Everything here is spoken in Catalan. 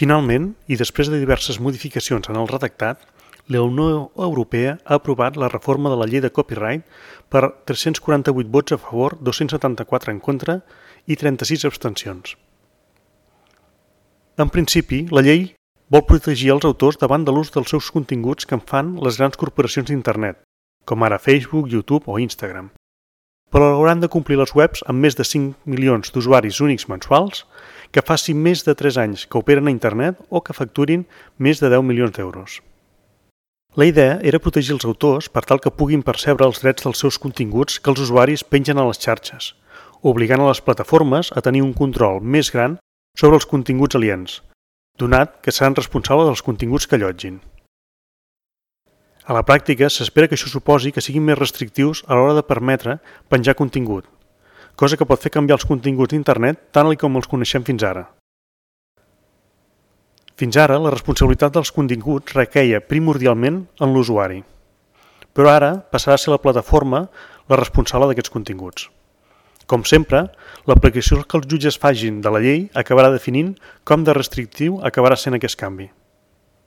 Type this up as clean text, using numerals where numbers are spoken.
Finalment, i després de diverses modificacions en el redactat, la Unió Europea ha aprovat la reforma de la llei de copyright per 348 vots a favor, 274 en contra i 36 abstencions. En principi, la llei vol protegir els autors davant de l'ús dels seus continguts que en fan les grans corporacions d'internet, com ara Facebook, YouTube o Instagram. Però hauran de complir les webs amb més de 5 milions d'usuaris únics mensuals que facin més de 3 anys que operen a internet o que facturin més de 10 milions d'euros. La idea era protegir els autors per tal que puguin percebre els drets dels seus continguts que els usuaris pengen a les xarxes, obligant a les plataformes a tenir un control més gran sobre els continguts aliens, donat que seran responsables dels continguts que allotgin. A la pràctica, s'espera que això suposi que siguin més restrictius a l'hora de permetre penjar contingut, cosa que pot fer canviar els continguts d'internet tal com els coneixem fins ara. Fins ara, la responsabilitat dels continguts requeia primordialment en l'usuari, però ara passarà a ser la plataforma la responsable d'aquests continguts. Com sempre, l'aplicació que els jutges facin de la llei acabarà definint com de restrictiu acabarà sent aquest canvi.